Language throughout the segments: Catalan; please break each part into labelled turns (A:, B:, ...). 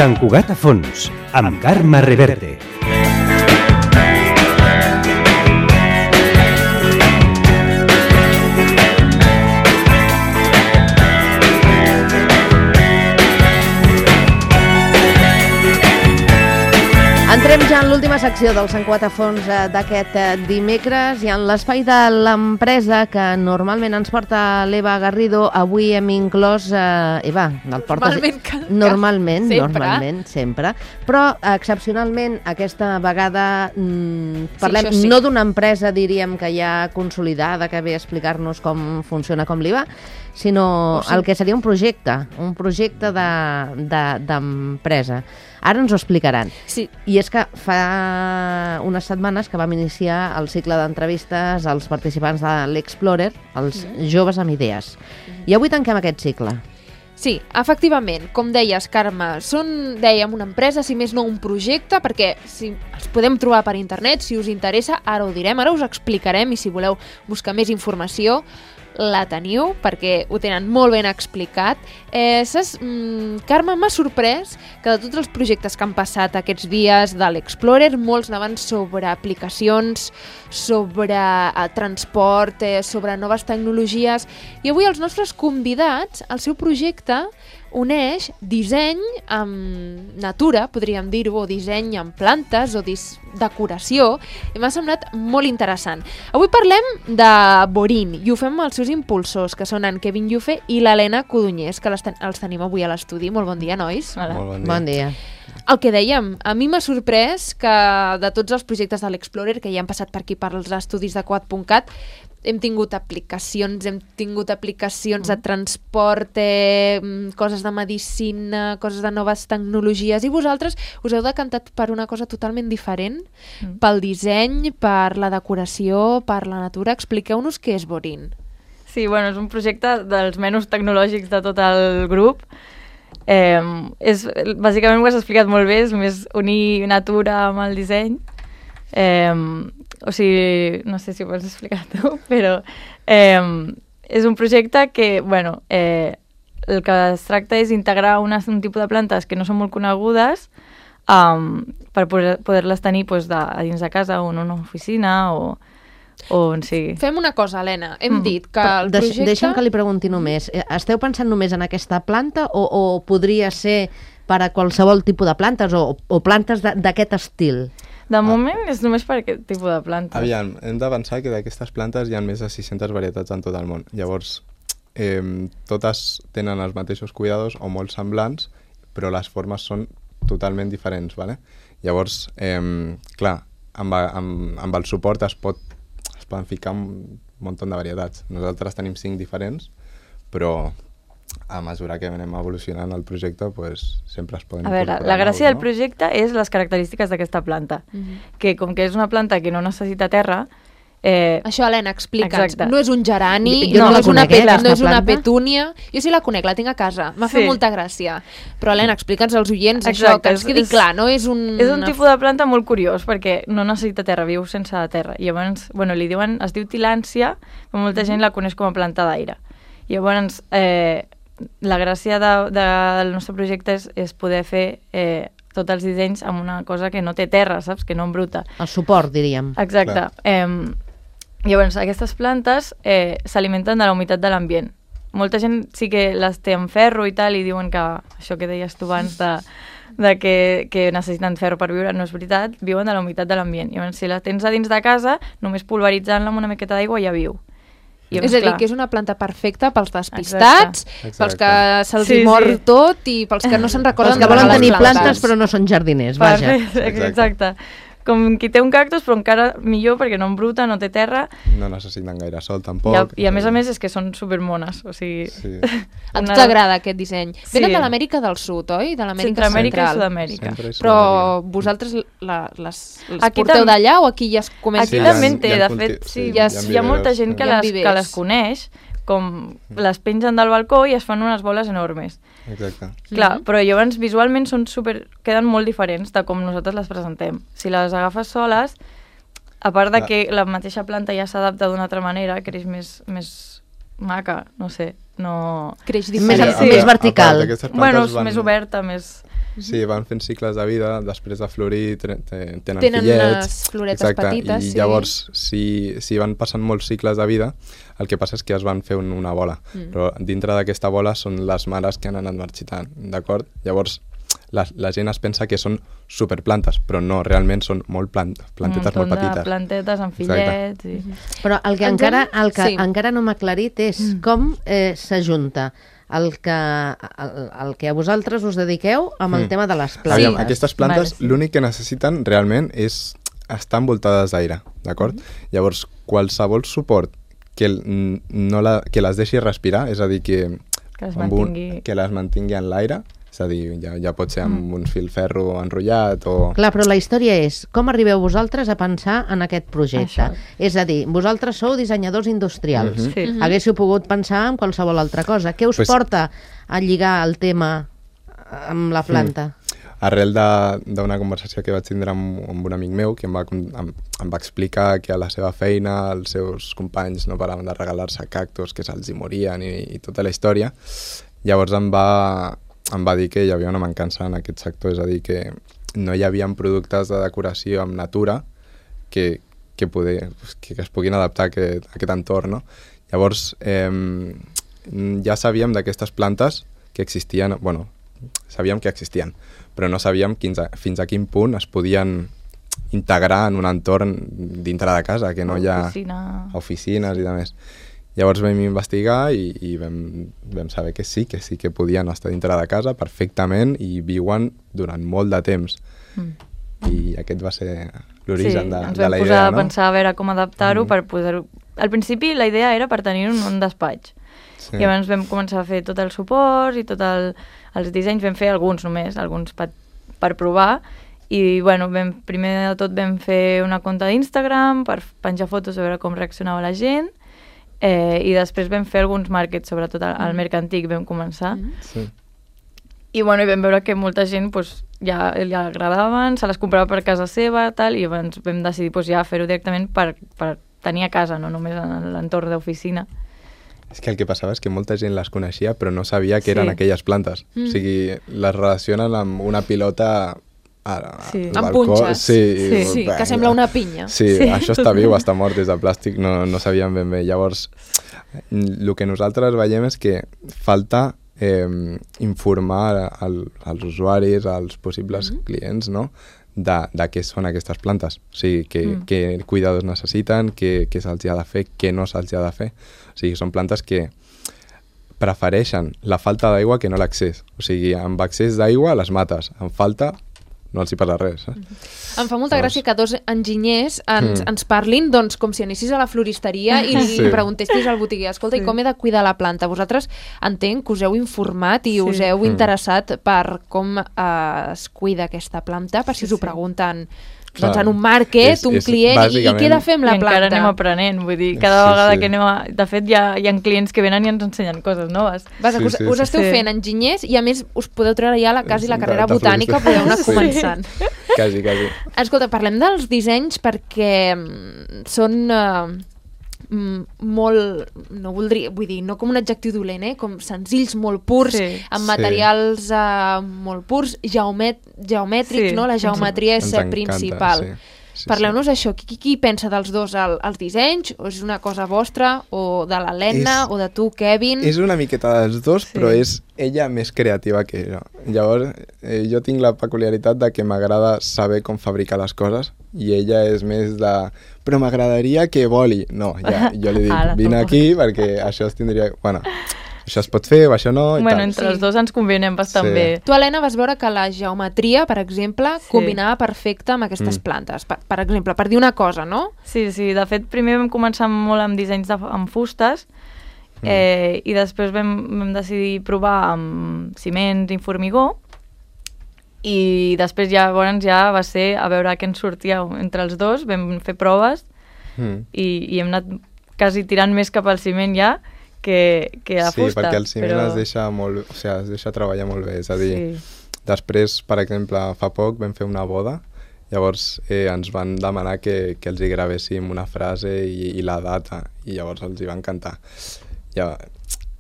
A: Sant Cugat a fons, amb Carme Reverte.
B: Entrem ja en l'última secció del Sant Cugat a fons d'aquest dimecres i en l'espai de l'empresa que normalment ens porta l'Eva Garrido. Avui hem inclòs... Eva, el portes... Normalment, sempre. Però excepcionalment aquesta vegada parlem no d'una empresa, diríem, que ja consolidada, que ve a explicar-nos com funciona, com li va, sinó el que seria un projecte d'empresa. Ara ens ho explicaran.
C: Sí.
B: I és que fa unes setmanes que vam iniciar el cicle d'entrevistes als participants de l'Explorer, els joves amb idees. I avui tanquem aquest cicle.
C: Sí, efectivament, com deies, Carme, són, dèiem, una empresa, si més no un projecte, perquè si els podem trobar per internet, si us interessa, ara ho direm, ara us explicarem i si voleu buscar més informació, la teniu, perquè ho tenen molt ben explicat. Carme, m'ha sorprès que de tots els projectes que han passat aquests dies de l'Explorer, molts anaven sobre aplicacions, sobre transport, sobre noves tecnologies, i avui els nostres convidats, el seu projecte uneix disseny amb natura, podríem dir-ho, o disseny amb plantes, o decoració, i m'ha semblat molt interessant. Avui parlem de Borin, i ho fem amb els seus impulsors, que són en Kevin Yufe i l'Helena Codonyés, que els tenim avui a l'estudi. Molt bon dia, nois.
D: Hola.
B: Molt bon dia.
C: El que dèiem, a mi m'ha sorprès que de tots els projectes de l'Explorer, que ja han passat per aquí per als estudis de Quad.cat, hem tingut aplicacions de transport, coses de medicina, coses de noves tecnologies, i vosaltres us heu decantat per una cosa totalment diferent, pel disseny, per la decoració, per la natura. Expliqueu-nos què és Borin.
D: Sí, bueno, és un projecte dels menys tecnològics de tot el grup. Bàsicament ho has explicat molt bé, és més unir natura amb el disseny. O sigui, no sé si ho vols explicar tu, però és un projecte que, bueno, el que es tracta és integrar un tipus de plantes que no són molt conegudes per poder-les tenir a dins de casa o en una oficina o on sigui.
C: Fem una cosa, Helena, hem dit que el projecte...
B: Deixa'm que li pregunti només, esteu pensant només en aquesta planta o podria ser per a qualsevol tipus de plantes o plantes d'aquest estil?
D: De moment és només per aquest tipus de plantes.
E: Aviam, hem de pensar que d'aquestes plantes hi ha més de 600 varietats en tot el món. Llavors, totes tenen els mateixos cuidados o molt semblants, però les formes són totalment diferents, ¿vale? Llavors, clar, amb el suport es poden ficar un munt de varietats. Nosaltres tenim 5 diferents, però a mesura que anem evolucionant el projecte, sempre es poden incorporar.
D: A veure, la gràcia del projecte és les característiques d'aquesta planta, que com que és una planta que no necessita terra...
C: Això, Helena, explica'ns. No és un gerani,
B: no
C: és una petúnia. Jo sí la conec, la tinc a casa. M'ha fet molta gràcia. Però, Helena, explica'ns als oients això, que ens quedi clar, no és un...
D: És un tipus de planta molt curiós, perquè no necessita terra, viu sense terra. I llavors, bueno, es diu tilància, però molta gent la coneix com a planta d'aire. I llavors, la gràcia del nostre projecte és poder fer tots els dissenys amb una cosa que no té terra, saps? Que no embruta.
B: El suport, diríem.
D: Exacte. Llavors, aquestes plantes s'alimenten de la humitat de l'ambient. Molta gent sí que les té en ferro i tal, i diuen que això que deies tu abans de que necessiten ferro per viure, no és veritat, viuen de la humitat de l'ambient. Llavors, si la tens a dins de casa, només pulveritzant-la amb una miqueta d'aigua ja viu.
C: És a dir, que és una planta perfecta pels despistats, pels que se'ls mor tot i pels que no se'n recorden
B: de volen tenir plantes però no són jardiners, vaja.
D: Exacte. Com qui té un cactus, però encara millor perquè no embruta, no té terra.
E: No necessiten gaire sol, tampoc.
D: I a més és que són supermones, o sigui...
E: Sí.
C: A tu t'agrada aquest disseny. Venen de l'Amèrica del Sud, oi? De l'Amèrica
D: Centroamèrica
C: Central.
D: i Sud-amèrica.
C: Però vosaltres les porteu d'allà o aquí ja es comença?
D: Aquí també en té, de fet, hi ha molta gent que les coneix, com les pengen del balcó i es fan unes boles enormes.
E: Exacte.
D: Clar, però llavors visualment queden molt diferents de com nosaltres les presentem. Si les agafes soles, a part de que la mateixa planta ja s'adapta d'una altra manera, creix més maca, no sé, no...
C: Creix diferent.
B: Més vertical.
D: Bueno, més oberta, més...
E: Sí, van fent cicles de vida, després de florir tenen
C: Tenen
E: fillets.
C: unes floretes
E: Exacte,
C: petites,
E: i
C: sí.
E: llavors, si van passant molts cicles de vida, el que passa és que es van fer una bola. Però dintre d'aquesta bola són les mares que han anat marxitant, d'acord? Llavors, la gent es pensa que són superplantes, però no, realment són plantetes molt petites.
D: Plantetes amb fillets. I...
B: Però el que
C: Sí.
B: encara no m'ha aclarit és com s'ajunta el que a vosaltres us dediqueu amb el tema de les plantes.
E: Aviam, aquestes plantes,
D: Vale, sí.
E: l'únic que necessiten realment és estar envoltades d'aire, d'acord? Llavors, qualsevol suport que les deixi respirar, és a dir, que les mantingui en l'aire, és a dir, ja pot ser amb un filferro enrotllat o...
B: Clar, però la història és com arribeu vosaltres a pensar en aquest projecte.
D: Això.
B: És a dir, vosaltres sou dissenyadors industrials.
D: Sí.
B: Haguéssiu pogut pensar en qualsevol altra cosa. Què us porta a lligar el tema amb la planta?
E: Arrel d'una conversació que vaig tindre amb un amic meu que em va explicar que a la seva feina els seus companys no paraven de regalar-se cactus que se'ls hi morien i tota la història. Llavors em va dir que hi havia una mancança en aquest sector, és a dir, que no hi havia productes de decoració amb natura que es puguin adaptar a aquest entorn, no? Llavors, ja sabíem d'aquestes plantes que existien, bueno, sabíem que existien, però no sabíem fins a quin punt es podien integrar en un entorn dintre de casa, que no hi ha oficines i demés. Llavors vam investigar i vam saber que sí que podien estar dintre de casa perfectament i viuen durant molt de temps. I aquest va ser l'origen de la idea.
D: Ens vam posar a pensar a veure com adaptar-ho per poder-ho... Al principi la idea era per tenir un despatx. Sí. Llavors vam començar a fer tot el suport i els dissenys, vam fer alguns per provar i bueno, primer de tot vam fer una compte d'Instagram per penjar fotos a veure com reaccionava la gent i després vam fer alguns màrquets, sobretot al Mercantic vam començar.
E: Sí.
D: I bueno, vam veure que molta gent ja li agradaven, se les comprava per casa seva i llavors vam decidir ja fer-ho directament per tenir a casa, no només en l'entorn d'oficina.
E: És que el que passava és que molta gent les coneixia però no sabia que eren aquelles plantes. O sigui, les relacionen amb una pilota al
C: amb
E: balcó.
C: punxes.
E: Sí,
C: que sembla una pinya.
E: Sí, això està viu, està mort, és de plàstic, no sabíem ben bé. Llavors, el que nosaltres veiem és que falta informar als usuaris, als possibles clients, no?, de què són aquestes plantes. O sigui, què cuidados necessiten, què se'ls ha de fer, què no se'ls ha de fer. O sigui, són plantes que prefereixen la falta d'aigua que no l'accés. O sigui, amb excés d'aigua les mates, amb falta no els hi passa res.
C: Em fa molta gràcia que dos enginyers ens parlin doncs, com si anessis a la floristeria i li preguntessis al botiguer, escolta, i com he de cuidar la planta? Vosaltres entenc que us heu informat i us heu interessat per com es cuida aquesta planta, per si us ho pregunten doncs en un market, un client, i què he de fer amb la planta?
D: I encara anem aprenent, vull dir, cada vegada que anem a... De fet, hi ha clients que venen i ens ensenyen coses noves.
C: Us esteu fent enginyers i a més us podeu treure ja quasi la carrera botànica, podeu anar començant.
E: Quasi.
C: Escolta, parlem dels dissenys perquè són molt, no voldria, vull dir, no com un adjectiu dolent, com senzills, molt purs, amb materials molt purs, geomètrics, no? La geometria és principal. Parleu-nos d'això, qui pensa dels dos els dissenys? O és una cosa vostra, o de l'Helena, o de tu, Kevin?
E: És una miqueta dels dos, però és ella més creativa que jo. Llavors, jo tinc la peculiaritat de que m'agrada saber com fabricar les coses i ella és més de... Però m'agradaria que voli. No, jo li dic, vine aquí perquè això es tindria... Bueno, això es pot fer o això no...
D: Bueno, entre els dos ens convenem bastant bé.
C: Tu, Helena, vas veure que la geometria, per exemple, combinava perfecte amb aquestes plantes. Per exemple, per dir una cosa, no?
D: Sí. De fet, primer vam començar molt amb dissenys amb fustes i després vam decidir provar amb ciments i formigó i després ja va ser a veure què ens sortia entre els dos, vam fer proves i hem anat quasi tirant més cap al ciment ja que a fusta.
E: Sí, perquè el ciment es deixa treballar molt bé, és a dir, després, per exemple, fa poc vam fer una boda, llavors ens van demanar que els hi gravéssim una frase i la data, i llavors els hi va encantar.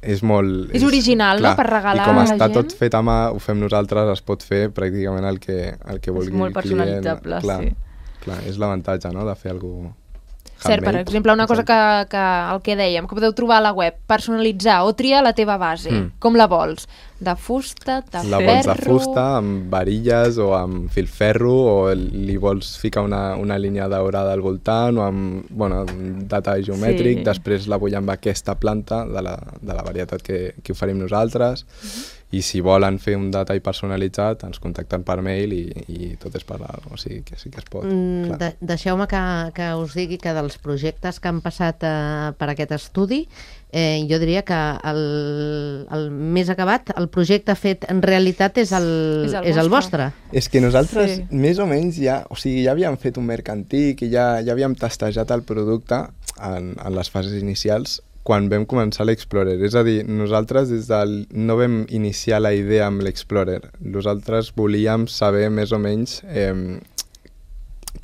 E: és molt...
C: És original, no?, per regalar
E: I com
C: a la
E: està
C: gent.
E: tot fet a mà, ho fem nosaltres, es pot fer pràcticament el que vulgui
D: molt
E: el client.
D: personalitzable,
E: Clar,
D: sí.
E: Clar, és l'avantatge, no?, de fer alguna cosa
C: Cert, per exemple, una cosa que el que dèiem, que podeu trobar a la web, personalitzar o triar la teva base, com la vols? De fusta, de
E: La
C: ferro...
E: vols de fusta, amb varilles o amb filferro, o li vols ficar una línia daurada al voltant, o amb un detall geomètric, després la vull amb aquesta planta de la varietat que oferim nosaltres, i si volen fer un detall personalitzat ens contacten per mail i tot és parlar, o sigui que sí que es pot.
B: Deixeu-me que us digui que dels projectes que han passat per aquest estudi, jo diria que el més acabat, el projecte fet en realitat és el vostre.
E: És que nosaltres, més o menys, ja havíem fet un mercantic i ja havíem testejat el producte en les fases inicials quan vam començar l'Explorer. És a dir, nosaltres no vam iniciar la idea amb l'Explorer. Nosaltres volíem saber més o menys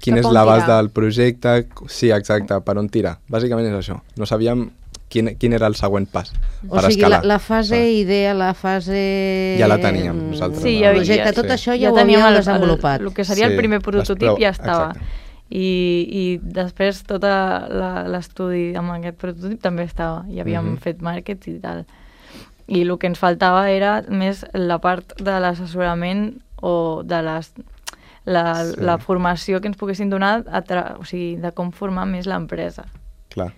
E: quin és l'abast del projecte. Sí, exacte, per on tira. Bàsicament és això. No sabíem quin era el següent pas per escalar.
B: La fase idea, la fase...
E: Ja la teníem nosaltres.
B: Sí, el projecte, tot això ja ho havíem desenvolupat.
D: El que seria el primer prototip ja estava. I després tot l'estudi amb aquest prototip també estava, i havíem fet màrquet i tal. I el que ens faltava era més la part de l'assessorament o de la formació que ens poguessin donar, o sigui, de com formar més l'empresa.
E: Clar.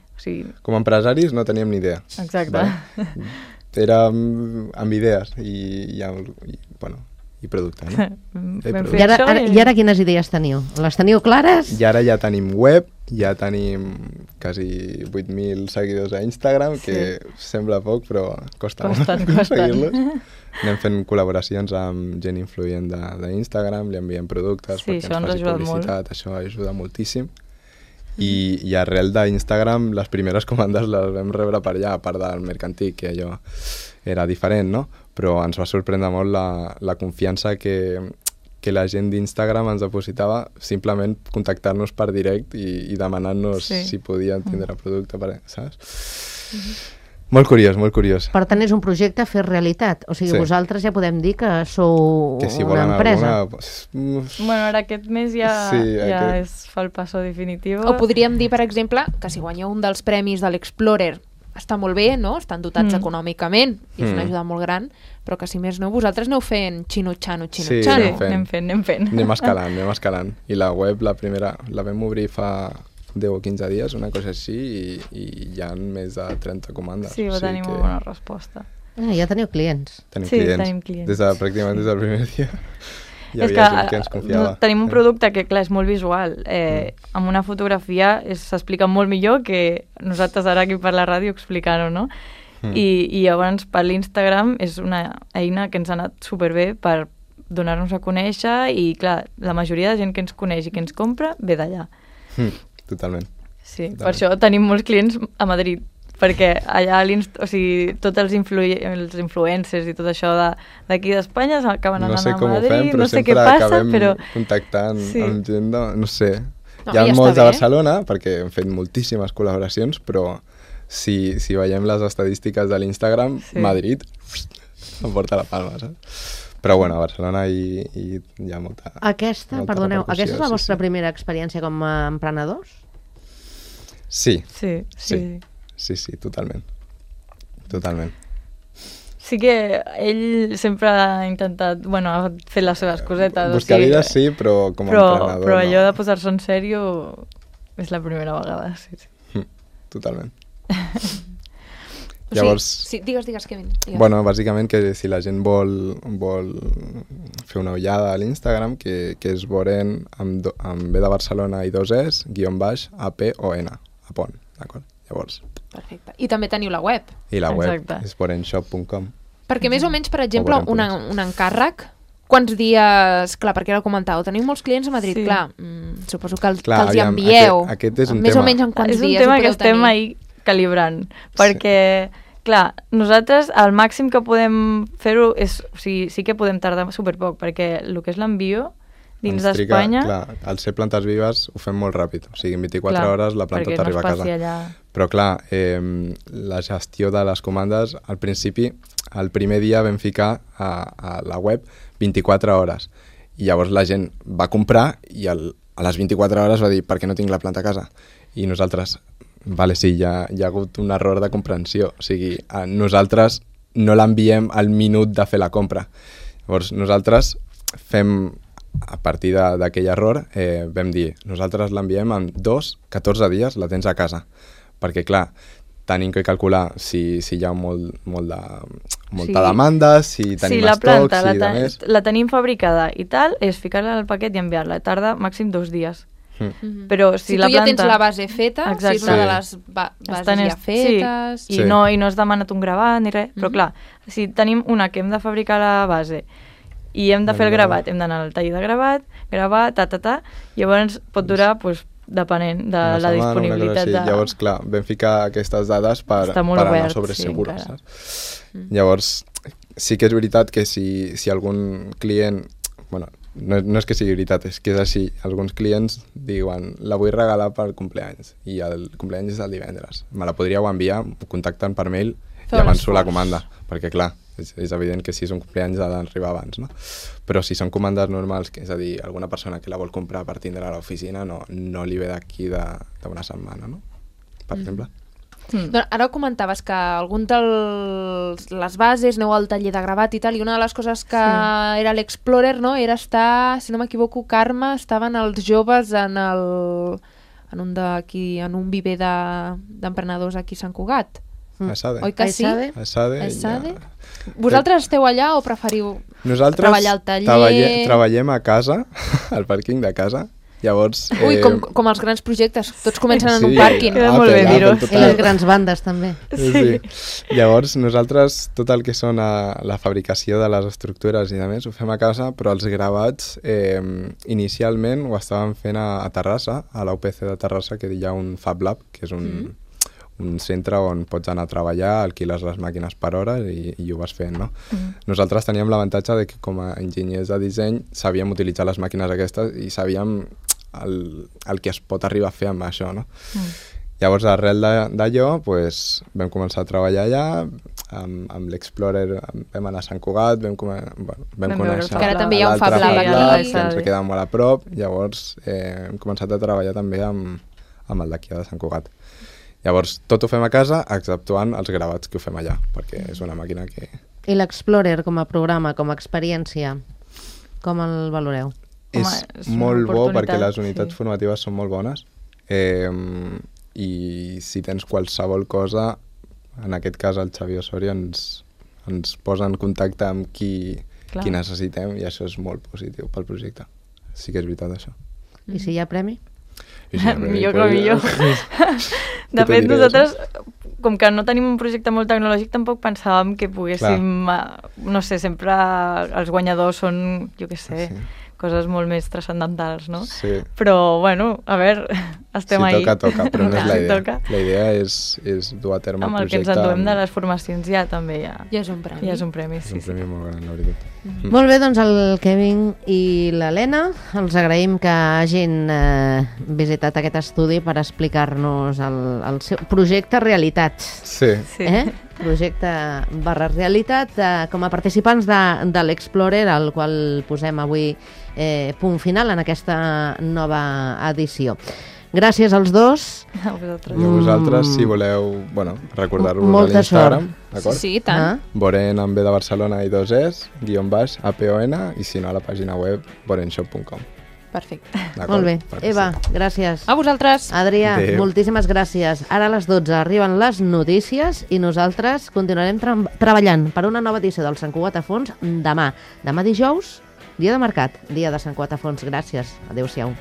E: Com a empresaris no teníem ni idea.
D: Exacte.
E: Érem amb idees i producte, no?
B: I ara quines idees teniu? Les teniu clares?
E: I ara ja tenim web, ja tenim quasi 8.000 seguidors a Instagram, que sembla poc, però costa molt aconseguir-los. Anem fent col·laboracions amb gent influent d'Instagram, li enviem productes perquè ens faci publicitat, això ajuda moltíssim. I arrel d'Instagram les primeres comandes les vam rebre per allà, a part del mercantic, que allò era diferent, no? Però ens va sorprendre molt la confiança que la gent d'Instagram ens depositava simplement contactar-nos per direct i demanant-nos si podien tindre producte, saps? Molt curiós, molt curiós.
B: Per tant, és un projecte a fer realitat. O sigui, vosaltres ja podem dir que sou una empresa.
D: Bueno, ara aquest mes ja es fa el passo definitiu.
C: O podríem dir, per exemple, que si guanyeu un dels premis de l'Explorer està molt bé, no? Estan dotats econòmicament, i és una ajuda molt gran, però que si més no, vosaltres aneu fent xino-xano.
E: Sí,
D: anem fent.
E: Anem escalant. I la web, la primera, la vam obrir fa 10 o 15 dies, una cosa així, i hi ha més de 30 comandes.
D: Sí, va tenir molt bona resposta.
B: Ja teniu clients.
E: Tenim clients. Pràcticament des del primer dia. Hi havia gent que ens confiava.
D: Tenim un producte que, clar, és molt visual. Amb una fotografia s'explica molt millor que nosaltres ara aquí per la ràdio explicar-ho, no? I llavors per l'Instagram és una eina que ens ha anat superbé per donar-nos a conèixer i, clar, la majoria de gent que ens coneix i que ens compra ve d'allà.
E: Totalment.
D: Sí, per això tenim molts clients a Madrid, perquè allà tots els influencers i tot això d'aquí d'Espanya acaben anant a Madrid, no sé què passa, però...
E: contactant amb gent, no sé. Hi ha molts de Barcelona, perquè hem fet moltíssimes col·laboracions, però si veiem les estadístiques de l'Instagram, Madrid em porta la palma, saps? Però bueno, a Barcelona hi ha molta...
B: Aquesta és la vostra primera experiència com a emprenedors?
E: Sí, totalment.
D: Sí que ell sempre ha intentat, ha fet les seves cosetes.
E: Buscar vida sí, però com a emprenedor
D: però allò de posar-se en sèrio és la primera vegada, sí.
E: Totalment.
C: Llavors... Sí, digues, Kevin.
E: Bueno, bàsicament que si la gent vol fer una ullada a l'Instagram, que és Boren amb B de Barcelona i 2 Es, _ APON, Apon, d'acord? Llavors...
C: Perfecte. I també teniu la web.
E: I la web és borenshop.com.
C: Perquè més o menys, per exemple, un encàrrec, quants dies... Clar, perquè ara ho comentàveu, teniu molts clients a Madrid, clar, suposo que els hi envieu.
E: Aquest és un
C: més o menys en quants dies ho podeu tenir.
D: És un tema que estem ahí calibrant, perquè, clar, nosaltres el màxim que podem fer-ho és, sí que podem tardar superpoc, perquè el que és l'envio dins
E: Ens triga,
D: d'Espanya.
E: Clar, al ser plantes vives ho fem molt ràpid, o sigui, en 24
D: Clar,
E: hores la planta
D: perquè
E: t'arriba
D: no
E: a
D: es
E: casa.
D: passi allà.
E: Però clar, la gestió de les comandes, al principi, el primer dia vam ficar a la web 24 hores. I llavors la gent va comprar i a les 24 hores va dir per què no tinc la planta a casa? I nosaltres, vale, sí, hi ha hagut un error de comprensió. O sigui, nosaltres no l'enviem al minut de fer la compra. Llavors nosaltres fem, a partir d'aquell error, vam dir, nosaltres l'enviem en 14 dies, la tens a casa. Perquè, clar, tenim que calcular si hi ha molta demanda, si tenim
D: la
E: estoc,
D: planta
E: si de més...
D: la tenim fabricada i tal, és ficar-la al paquet i enviar-la. Tarda màxim 2 dies. Però si
C: tu
D: la
C: ja
D: planta...
C: tens la base feta,
D: Exacte.
C: si és una de les bases ja fetes...
D: Sí, i no has demanat un gravat ni res, però clar, si tenim una que hem de fabricar la base i hem de fer el gravat, hem d'anar al taller de gravar, llavors pot durar, doncs, depenent de la disponibilitat.
E: Llavors, clar, vam ficar aquestes dades per anar sobre segura, saps? Llavors, sí que és veritat que si algun client... Bueno, no és que sigui veritat, és que és així. Alguns clients diuen, la vull regalar per cumpleaños, i el cumpleaños és el divendres. Me la podríeu enviar, contacten per mail i avanço la comanda, perquè clar, és evident que si és un cumpleaños ha d'arribar abans, no? Però si són comandes normals, que és a dir, alguna persona que la vol comprar per tindre a l'oficina, no li ve d'aquí d'una setmana, no? Per exemple.
C: Doncs ara comentaves que algun de les bases aneu al taller de gravat i tal, i una de les coses que era l'Explorer, no?, era estar, si no m'equivoco, Carme, estaven els joves en un viver d'emprenedors aquí a Sant Cugat.
E: Esade.
C: Oi que sí?
E: Esade.
C: Vosaltres esteu allà o preferiu treballar al taller?
E: Nosaltres treballem a casa, al pàrquing de casa. Llavors...
C: Ui, com els grans projectes, tots comencen en un pàrquing.
D: Queda molt bé dir-ho.
B: I les grans bandes, també.
E: Sí. Llavors, nosaltres, tot el que són la fabricació de les estructures i de més, ho fem a casa, però els gravats, inicialment ho estàvem fent a Terrassa, a la UPC de Terrassa, que hi ha un Fab Lab, que és un centre on pots anar a treballar, alquiles les màquines per hora i ho vas fent, no? Nosaltres teníem l'avantatge de que com a enginyers de disseny sabíem utilitzar les màquines aquestes i sabíem el que es pot arribar a fer amb això, no? Llavors, arrel d'allò, pues, vam començar a treballar allà, amb l'Explorer vam anar a Sant Cugat, vam conèixer
C: que ara també hi ha un Fab Lab aquí,
E: que ens queda molt a prop, llavors hem començat a treballar també amb el d'aquí de Sant Cugat. Llavors, tot ho fem a casa, exceptuant els gravats que ho fem allà, perquè és una màquina que...
B: I l'Explorer com a programa, com a experiència, com el valoreu?
E: És molt bo perquè les unitats formatives són molt bones i si tens qualsevol cosa, en aquest cas el Xavi Osorio ens posa en contacte amb qui necessitem i això és molt positiu pel projecte. Sí que és veritat, això.
B: I si hi ha premi?
D: Millor que millor. De fet, nosaltres, com que no tenim un projecte molt tecnològic, tampoc pensàvem que poguéssim, no sé, sempre els guanyadors són, jo què sé, coses molt més transcendentals, no?
E: Sí.
D: Però, bueno, a veure, estem ahí.
E: Si toca, però no és la idea. La idea és dur a terme el projecte.
D: Amb el que ens enduem de les formacions ja també ja
C: és un premi.
D: Ja és un premi, sí.
E: És un premi molt gran, la veritat.
B: Molt bé, doncs el Kevin i l'Helena, els agraïm que hagin visitat aquest estudi per explicar-nos el seu projecte realitat.
E: Sí.
B: Projecte /realitat com a participants de l'Explorer, al qual posem avui punt final en aquesta nova edició. Gràcies als dos.
D: A vosaltres.
E: I a vosaltres, si voleu, recordar-vos a l'Instagram, d'acord?
C: Sí, tant.
E: Boren amb B de Barcelona i 2 Es, _APON, i si no a la pàgina web borenshop.com.
C: Perfecte.
B: Molt bé. Eva, gràcies.
C: A vosaltres.
B: Adrià, moltíssimes gràcies. Ara a les 12 arriben les notícies i nosaltres continuarem treballant per una nova edició del Sant Cugat a Fons demà. Demà dijous, dia de mercat, dia de Sant Cugat a Fons. Gràcies. Adéu-siau.